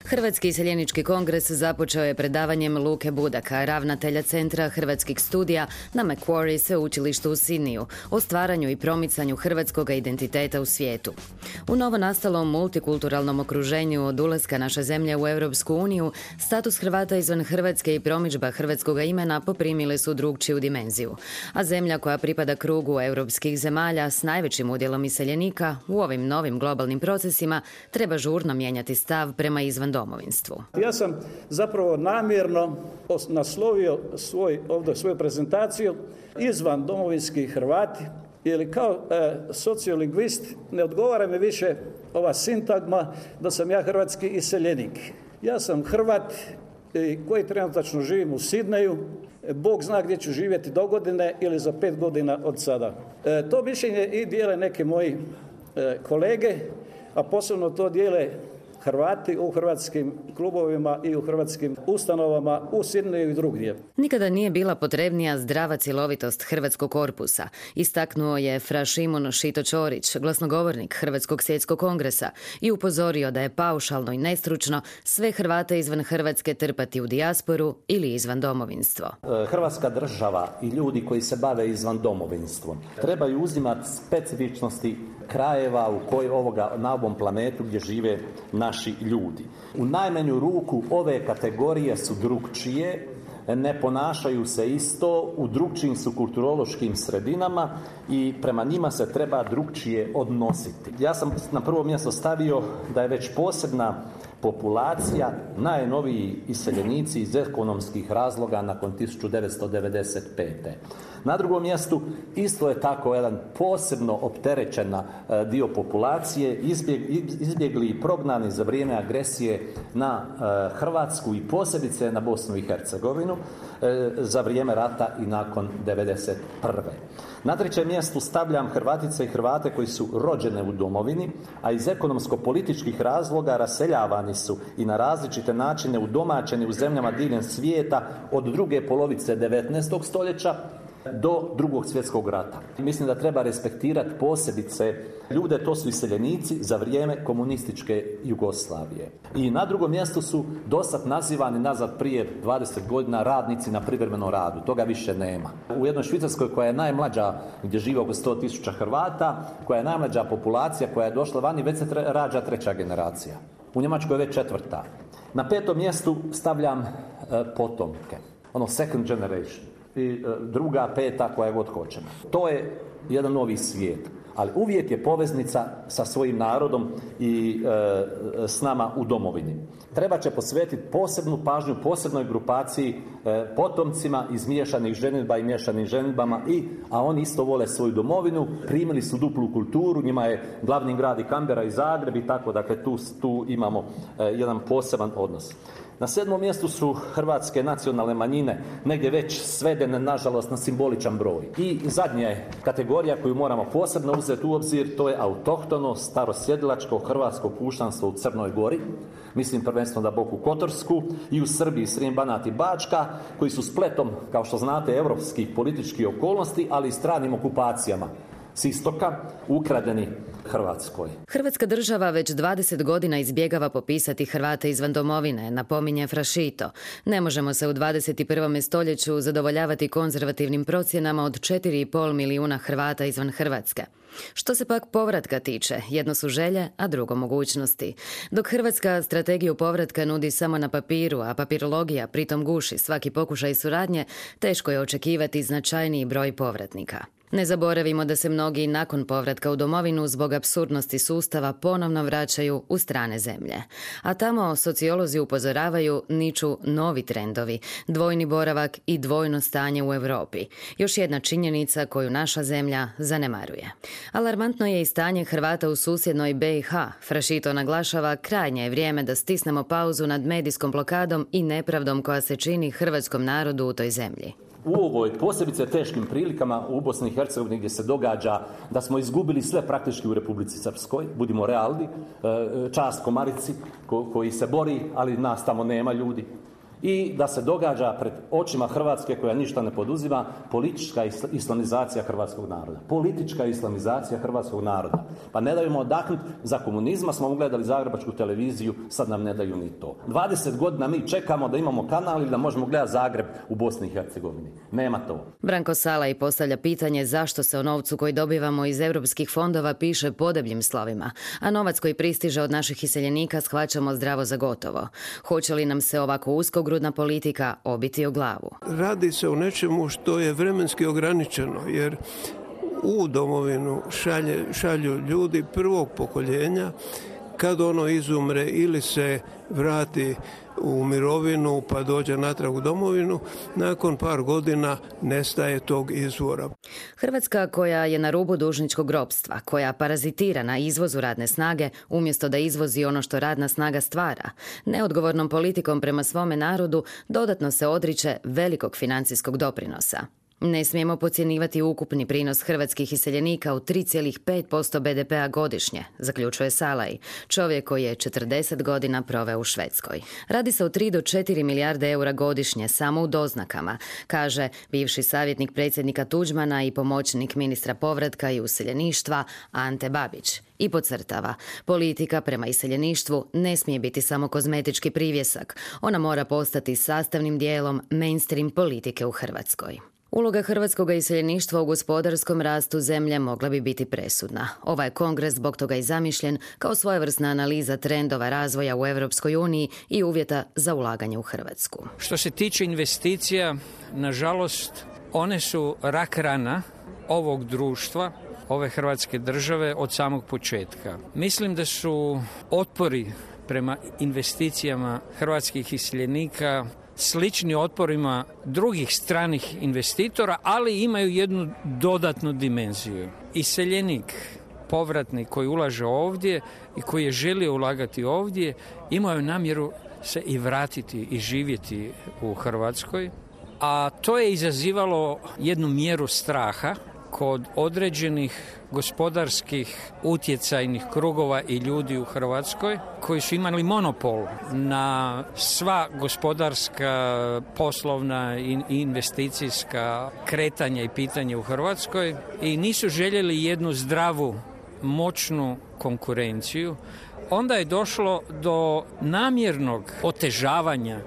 Hrvatski iseljenički kongres započeo je predavanjem Luke Budaka, ravnatelja Centra hrvatskih studija na Macquarie sveučilištu u Sydneyu, o stvaranju i promicanju hrvatskog identiteta u svijetu. U novonastalom multikulturalnom okruženju od ulaska naše zemlje u Europsku uniju, status Hrvata izvan Hrvatske i promidžba hrvatskog imena poprimile su drugčiju dimenziju. A zemlja koja pripada krugu europskih zemalja s najvećim udjelom iseljenika u ovim novim globalnim procesima treba žurno mijenjati stav prema izvan domovinstvu. Ja sam zapravo namjerno naslovio svoju prezentaciju izvan domovinski Hrvati, jer kao sociolingvist ne odgovara mi više ova sintagma da sam ja hrvatski iseljenik. Ja sam Hrvat koji trenutačno živim u Sydneyu. Bog zna gdje ću živjeti do godine ili za 5 godina od sada. To mišljenje i dijele neke moji kolege, a posebno to dijele Hrvati u hrvatskim klubovima i u hrvatskim ustanovama u Sydneyu i drugdje. Nikada nije bila potrebnija zdrava cjelovitost hrvatskog korpusa, istaknuo je fra Šimon Šito-Ćorić, glasnogovornik Hrvatskog svjetskog kongresa, i upozorio da je paušalno i nestručno sve Hrvate izvan Hrvatske trpati u dijasporu ili izvan domovinstvo. Hrvatska država i ljudi koji se bave izvan domovinstvom trebaju uzimati specifičnosti krajeva na ovom planetu gdje žive naši ljudi. U najmanju ruku ove kategorije su drukčije, ne ponašaju se isto, u drukčijim su kulturološkim sredinama i prema njima se treba drukčije odnositi. Ja sam na prvo mjesto stavio da je već posebna populacija najnoviji iseljenici iz ekonomskih razloga nakon 1995. Na drugom mjestu isto je tako jedan posebno opterećen dio populacije, izbjegli i prognani za vrijeme agresije na Hrvatsku i posebice na Bosnu i Hercegovinu za vrijeme rata i nakon 1991. Na trećem mjestu stavljam Hrvatice i Hrvate koji su rođene u domovini, a iz ekonomsko-političkih razloga raseljavani su i na različite načine udomaćeni u zemljama diljem svijeta od druge polovice 19. stoljeća do Drugog svjetskog rata. Mislim da treba respektirati posebice ljude, to su iseljenici za vrijeme komunističke Jugoslavije. I na drugom mjestu su dosad nazivani nazad prije 20 godina radnici na privremenom radu. Toga više nema. U jednoj Švicarskoj koja je najmlađa, gdje žive oko 100.000 Hrvata, koja je najmlađa populacija koja je došla vani, već se rađa 3. generacija. U Njemačkoj je već 4. Na 5. mjestu stavljam potomke. Second generation. I 2., 5., koja god hoćemo. To je jedan novi svijet, ali uvijek je poveznica sa svojim narodom i s nama u domovini. Treba će posvetiti posebnu pažnju posebnoj grupaciji potomcima iz miješanih ženidba i miješanim ženidbama, a oni isto vole svoju domovinu, primili su duplu kulturu, njima je glavni grad i Kambera i Zagreb i tako, dakle tu imamo jedan poseban odnos. Na 7. mjestu su hrvatske nacionalne manjine, negdje već svedene, nažalost, na simboličan broj. I zadnja je kategorija koju moramo posebno uzeti u obzir, to je autohtono, starosjedilačko hrvatsko puštanstvo u Crnoj Gori, mislim prvenstveno na Boku Kotorsku, i u Srbiji, Srijem, Banat i Bačka, koji su spletom, kao što znate, europskih političkih okolnosti, ali i stranim okupacijama s istoka ukradeni Hrvatskoj. Hrvatska država već 20 godina izbjegava popisati Hrvate izvan domovine, napominje fra Šito. Ne možemo se u 21. stoljeću zadovoljavati konzervativnim procjenama od 4,5 milijuna Hrvata izvan Hrvatske. Što se pak povratka tiče, jedno su želje, a drugo mogućnosti. Dok Hrvatska strategiju povratka nudi samo na papiru, a papirologija pritom guši svaki pokušaj suradnje, teško je očekivati značajniji broj povratnika. Ne zaboravimo da se mnogi nakon povratka u domovinu zbog apsurdnosti sustava ponovno vraćaju u strane zemlje. A tamo sociolozi upozoravaju niču novi trendovi, dvojni boravak i dvojno stanje u Europi. Još jedna činjenica koju naša zemlja zanemaruje. Alarmantno je i stanje Hrvata u susjednoj BiH. Fra Šito naglašava, krajnje je vrijeme da stisnemo pauzu nad medijskom blokadom i nepravdom koja se čini hrvatskom narodu u toj zemlji. U ovoj posebice teškim prilikama u Bosni i Hercegovini gdje se događa da smo izgubili sve praktički u Republici Srpskoj, budimo realni, čast Komarici koji se bori, ali nas tamo nema ljudi. i da se događa pred očima Hrvatske koja ništa ne poduzima politička islamizacija hrvatskog naroda. Politička islamizacija hrvatskog naroda. Pa ne daju mu odahnuti. Za komunizma smo gledali zagrebačku televiziju, sad nam ne daju ni to. 20 godina mi čekamo da imamo kanal ili da možemo gledati Zagreb u Bosni i Hercegovini. Nema to. Branko Salaj postavlja pitanje zašto se o novcu koji dobivamo iz europskih fondova piše podebljim slovima, a novac koji pristiže od naših iseljenika shvaćamo zdravo za gotovo. Hoće li nam se ovako uskogrudna politika obiti o glavu? Radi se o nečemu što je vremenski ograničeno, jer u domovinu šalju ljudi prvog pokoljenja. Kad ono izumre ili se vrati u mirovinu pa dođe natrag u domovinu, nakon par godina nestaje tog izvora. Hrvatska koja je na rubu dužničkog ropstva, koja parazitira na izvozu radne snage umjesto da izvozi ono što radna snaga stvara, neodgovornom politikom prema svome narodu dodatno se odriče velikog financijskog doprinosa. Ne smijemo podcjenjivati ukupni prinos hrvatskih iseljenika u 3,5% BDP-a godišnje, zaključuje Salaj, čovjek koji je 40 godina proveo u Švedskoj. Radi se o 3 do 4 milijarde eura godišnje samo u doznakama, kaže bivši savjetnik predsjednika Tuđmana i pomoćnik ministra povratka i useljeništva Ante Babić. I podcrtava, politika prema iseljeništvu ne smije biti samo kozmetički privjesak, ona mora postati sastavnim dijelom mainstream politike u Hrvatskoj. Uloga hrvatskog iseljeništva u gospodarskom rastu zemlje mogla bi biti presudna. Ovaj kongres zbog toga i zamišljen kao svojevrsna analiza trendova razvoja u Europskoj uniji i uvjeta za ulaganje u Hrvatsku. Što se tiče investicija, nažalost, one su rak rana ovog društva, ove Hrvatske države od samog početka. Mislim da su otpori prema investicijama hrvatskih iseljenika slični otporima drugih stranih investitora, ali imaju jednu dodatnu dimenziju. Iseljenik, povratnik koji ulaže ovdje i koji je želio ulagati ovdje, imaju namjeru se i vratiti i živjeti u Hrvatskoj, a to je izazivalo jednu mjeru straha kod određenih gospodarskih utjecajnih krugova i ljudi u Hrvatskoj koji su imali monopol na sva gospodarska, poslovna i investicijska kretanja i pitanja u Hrvatskoj i nisu željeli jednu zdravu, moćnu konkurenciju. Onda je došlo do namjernog otežavanja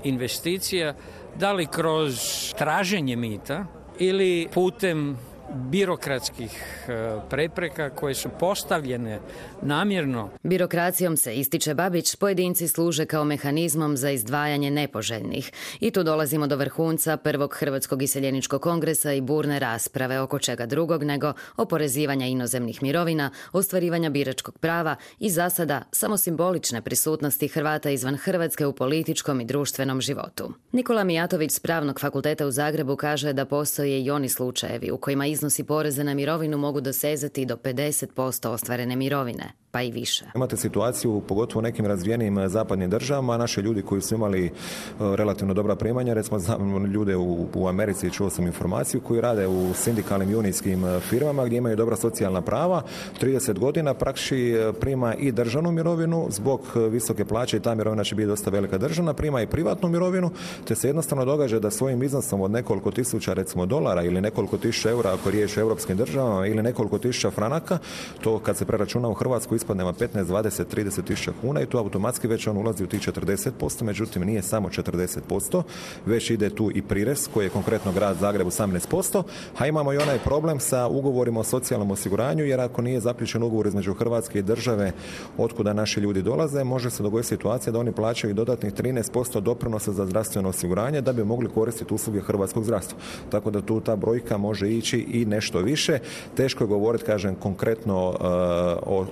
investicija, da li kroz traženje mita ili putem birokratskih prepreka koje su postavljene namjerno. Birokracijom, se ističe Babić, pojedinci služe kao mehanizmom za izdvajanje nepoželjnih. I tu dolazimo do vrhunca prvog Hrvatskog iseljeničkog kongresa i burne rasprave oko čega drugog nego oporezivanja inozemnih mirovina, ostvarivanja biračkog prava i za sada samo simbolične prisutnosti Hrvata izvan Hrvatske u političkom i društvenom životu. Nikola Mijatović s Pravnog fakulteta u Zagrebu kaže da postoje i oni slučajevi u kojima iznosi poreza na mirovinu mogu dosezati do 50% ostvarene mirovine, pa i više. Imate situaciju, pogotovo u nekim razvijenim zapadnim državama, naši ljudi koji su imali relativno dobra primanja, recimo znam ljude u Americi, čuo sam informaciju, koji rade u sindikalnim junijskim firmama gdje imaju dobra socijalna prava, 30 godina praktički prima i državnu mirovinu, zbog visoke plaće i ta mirovina će biti dosta velika državna, prima i privatnu mirovinu, te se jednostavno događa da svojim iznosom od nekoliko tisuća recimo dolara ili nekoliko tisuća eura ako riječ o europskim državama ili nekoliko tisuća franaka, to kad se preračuna u Hrvatsku ispadnema 15, 20, 30 tisuća kuna i tu automatski već on ulazi u tih 40%, međutim nije samo 40%, već ide tu i prirez koji je konkretno grad Zagreb 18%, a imamo i onaj problem sa ugovorima o socijalnom osiguranju, jer ako nije zaključen ugovor između Hrvatske i države otkuda naši ljudi dolaze, može se dogoditi situacija da oni plaćaju dodatnih 13% doprinosa za zdravstveno osiguranje da bi mogli koristiti usluge hrvatskog zdravstva. Tako da tu ta brojka može ići i nešto više. Teško je govoriti, kažem, konkretno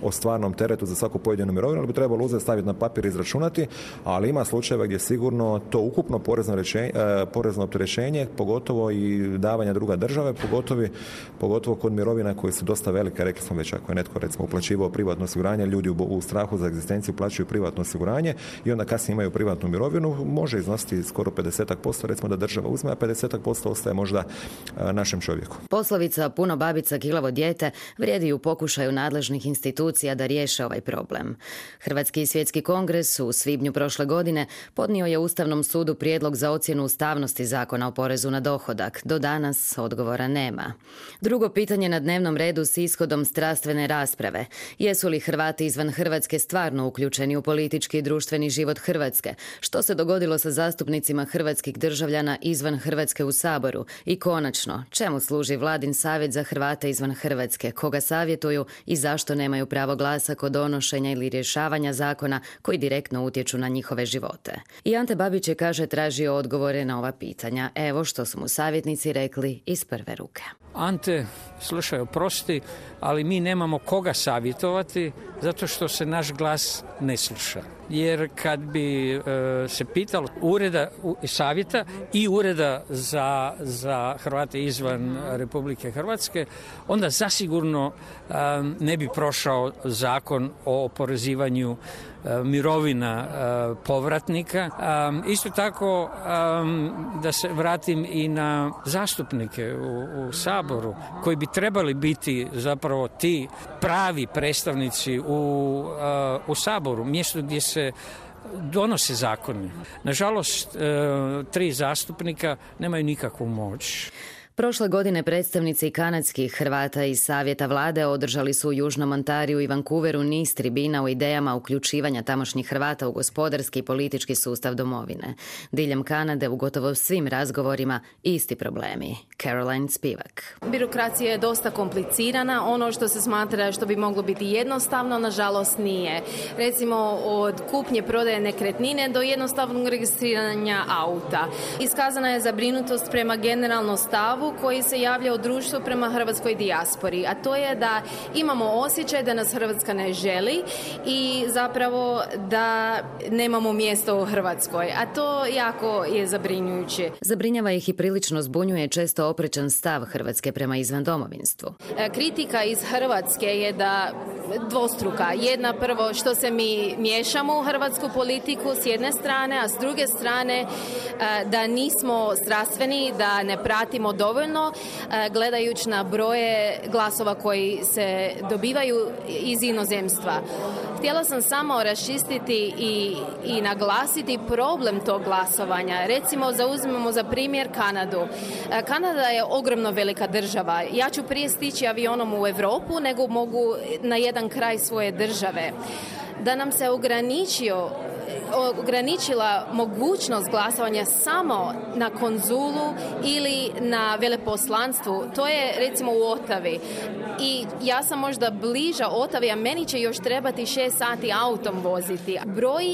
o stvarnom teretu za svaku pojedinu mirovinu, ali bi trebalo uzeti, staviti na papir i izračunati, ali ima slučajeva gdje sigurno to ukupno porezno opterećenje, pogotovo i davanja druga države, pogotovo kod mirovina koje su dosta velike, rekli smo već, ako je netko recimo uplaćivao privatno osiguranje, ljudi u strahu za egzistenciju plaćaju privatno osiguranje i onda kasnije imaju privatnu mirovinu, može iznositi skoro 50%, recimo da država uzme, a 50% ostaje možda našem čovjeku. Poslovica puno babica kilavo dijete vrijedi u pokušaju nadležnih institucija da riješe ovaj problem. Hrvatski i svjetski kongres u svibnju prošle godine podnio je Ustavnom sudu prijedlog za ocjenu ustavnosti zakona o porezu na dohodak. Do danas odgovora nema. Drugo pitanje na dnevnom redu s ishodom strastvene rasprave. Jesu li Hrvati izvan Hrvatske stvarno uključeni u politički i društveni život Hrvatske? Što se dogodilo sa zastupnicima hrvatskih državljana izvan Hrvatske u Saboru? I konačno, čemu služi Vladin savjet za Hrvate izvan Hrvatske? Koga savjetuju i zašto nemaju pravo glasa kod donošenja ili rješavanja zakona koji direktno utječu na njihove živote? I Ante Babić je, kaže, tražio odgovore na ova pitanja. Evo što su mu savjetnici rekli iz prve ruke. Ante, slušaj, oprosti, ali mi nemamo koga savjetovati zato što se naš glas ne sluša. Jer kad bi se pitalo ureda savjeta i ureda za Hrvate izvan Republike Hrvatske, onda zasigurno ne bi prošao zakon o oporezivanju mirovina povratnika. Isto tako, da se vratim i na zastupnike u Saboru, koji bi trebali biti zapravo ti pravi predstavnici u Saboru, mjesto gdje se donose zakoni. Nažalost, 3 zastupnika nemaju nikakvu moć. Prošle godine predstavnici kanadskih Hrvata iz Savjeta vlade održali su u Južnom Ontariju i Vancouveru niz tribina o idejama uključivanja tamošnjih Hrvata u gospodarski i politički sustav domovine. Diljem Kanade u gotovo svim razgovorima isti problemi. Caroline Spivak. Birokracija je dosta komplicirana. Ono što se smatra što bi moglo biti jednostavno, nažalost nije. Recimo od kupnje prodaje nekretnine do jednostavnog registriranja auta. Iskazana je zabrinutost prema generalnom stavu koji se javlja u društvu prema hrvatskoj dijaspori, a to je da imamo osjećaj da nas Hrvatska ne želi i zapravo da nemamo mjesto u Hrvatskoj, a to jako je zabrinjujuće. Zabrinjava ih i prilično zbunjuje često oprečan stav Hrvatske prema izvandomovinstvu. Kritika iz Hrvatske je da dvostruka. Jedna, prvo što se mi miješamo u hrvatsku politiku s jedne strane, a s druge strane da nismo strastveni, da ne pratimo dovoljno gledajući na broje glasova koji se dobivaju iz inozemstva. Htjela sam samo raščistiti i naglasiti problem tog glasovanja. Recimo, zauzmemo za primjer Kanadu. Kanada je ogromno velika država. Ja ću prije stići avionom u Europu nego mogu na jedan kraj svoje države. Da nam se ograničila mogućnost glasovanja samo na konzulu ili na veleposlanstvu, to je recimo u Otavi. I ja sam možda bliža Otavi, a meni će još trebati 6 sati autom voziti. Broj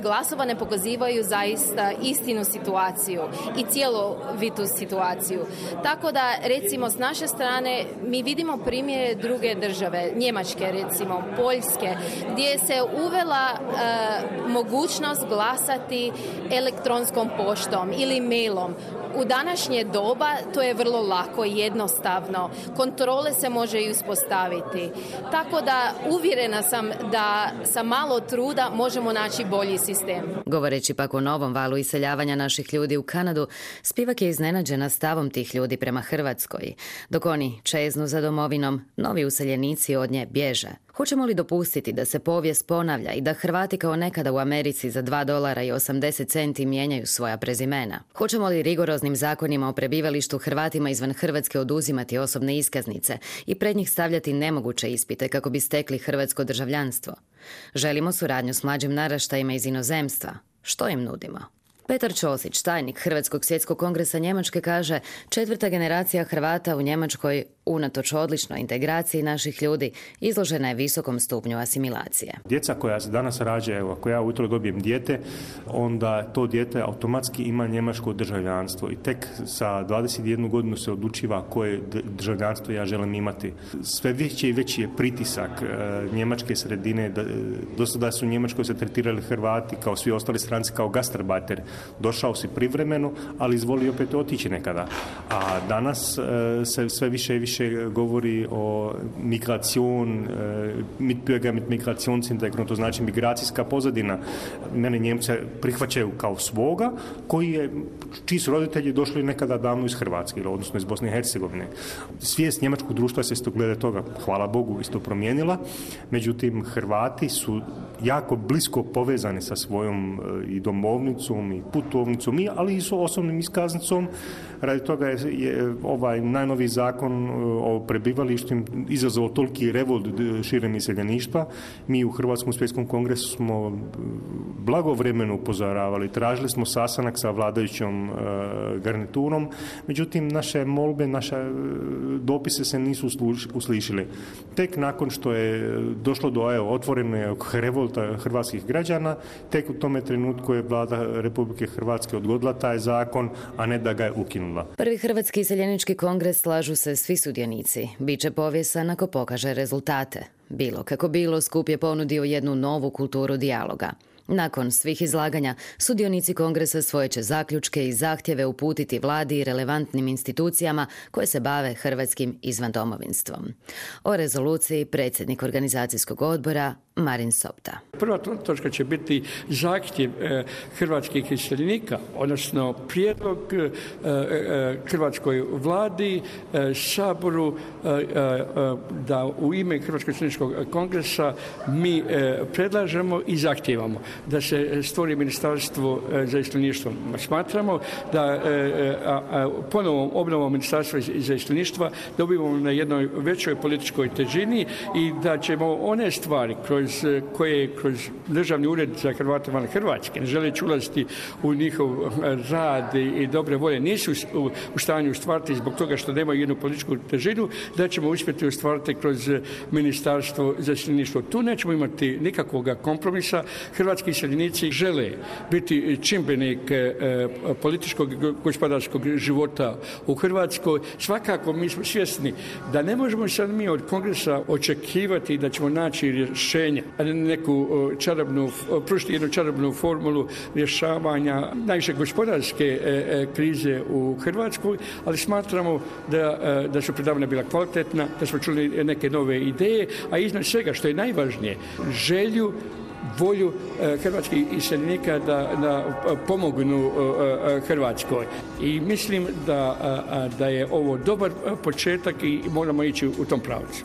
glasova ne pokazivaju zaista istinu situaciju i cjelovitu situaciju. Tako da, recimo, s naše strane mi vidimo primjere druge države, Njemačke, recimo, Poljske, gdje se uvela mogućnost glasati elektronskom poštom ili mailom. U današnje doba to je vrlo lako i jednostavno. Kontrole se može i uspostaviti. Tako da uvjerena sam da sa malo truda možemo naći bolji sistem. Govoreći pak o novom valu iseljavanja naših ljudi u Kanadu, Spivak je iznenađena stavom tih ljudi prema Hrvatskoj. Dok oni čeznu za domovinom, novi useljenici od nje bježe. Hoćemo li dopustiti da se povijest ponavlja i da Hrvati kao nekada u Americi za $2.80 mijenjaju svoja prezimena? Hoćemo li rigoroznim zakonima o prebivalištu Hrvatima izvan Hrvatske oduzimati osobne iskaznice i pred njih stavljati nemoguće ispite kako bi stekli hrvatsko državljanstvo? Želimo suradnju s mlađim naraštajima iz inozemstva. Što im nudimo? Petar Ćosić, tajnik Hrvatskog svjetskog kongresa Njemačke, kaže: 4. generacija Hrvata u Njemačkoj, unatoč odličnoj integraciji naših ljudi, izložena je visokom stupnju asimilacije. Djeca koja se danas rađaju, ako ja ujutro dobijem dijete, onda to dijete automatski ima njemačko državljanstvo i tek sa 21 godinu se odlučiva koje državljanstvo ja želim imati. Sve veći i veći je pritisak njemačke sredine. Do sada su u Njemačkoj se tretirali Hrvati kao svi ostali stranci kao gastarbeiter. Došao si privremeno, ali izvoli opet otići nekada. A danas se sve više i više više govori o migracion, mitbürger mit migrationshintergrund, to znači migracijska pozadina. Mene Njemce prihvaćaju kao svoga, čiji su roditelji došli nekada davno iz Hrvatske, odnosno iz Bosne i Hercegovine. Svijest njemačkog društva se isto glede toga, hvala Bogu, isto promijenila. Međutim, Hrvati su jako blisko povezani sa svojom i domovnicom i putovnicom, ali i s osobnim iskaznicom. Radi toga je ovaj najnoviji zakon o prebivalištima izazvao toliki revolt širem iseljeništva. Mi u Hrvatskom svjetskom kongresu smo blagovremeno upozoravali, tražili smo sastanak sa vladajućom garniturom, međutim naše molbe, naše dopise se nisu uslišili. Tek nakon što je došlo do otvorenog revolta hrvatskih građana, tek u tome trenutku je vlada Republike Hrvatske odgodila taj zakon, a ne da ga je ukinula. Prvi Hrvatski iseljenički kongres, slažu se svi sudionici. Biće povijesan ako pokaže rezultate. Bilo kako bilo, skup je ponudio jednu novu kulturu dijaloga. Nakon svih izlaganja, sudionici kongresa svoje će zaključke i zahtjeve uputiti vladi i relevantnim institucijama koje se bave hrvatskim izvandomovinstvom. O rezoluciji predsjednik organizacijskog odbora Marin Sopta. Prva točka će biti zahtjev hrvatskih iseljenika, odnosno prijedlog hrvatskoj vladi, Saboru, da u ime Hrvatskog iseljeničkog kongresa mi predlažemo i zahtijevamo da se stvori ministarstvo za iseljeništvo. Smatramo da ponovom obnovom ministarstva za iseljeništva dobivamo na jednoj većoj političkoj težini i da ćemo one stvari koje kroz Državni ured za Hrvate van Hrvatske, ne želeći ulaziti u njihov rad i dobre volje, nisu u stanju ostvariti zbog toga što nemaju jednu političku težinu, da ćemo uspjeti ostvariti kroz ministarstvo za iseljeništvo. Tu nećemo imati nikakvog kompromisa. Hrvatski iseljenici žele biti čimbenik političkog gospodarskog života u Hrvatskoj. Svakako mi smo svjesni da ne možemo sad mi od kongresa očekivati da ćemo naći rješenja, pružiti jednu čarobnu formulu rješavanja najviše gospodarske krize u Hrvatskoj, ali smatramo da su predavanja bila kvalitetna, da smo čuli neke nove ideje, a iznad svega što je najvažnije, želju, volju hrvatskih iseljenika da pomognu Hrvatskoj. I mislim da je ovo dobar početak i moramo ići u tom pravcu.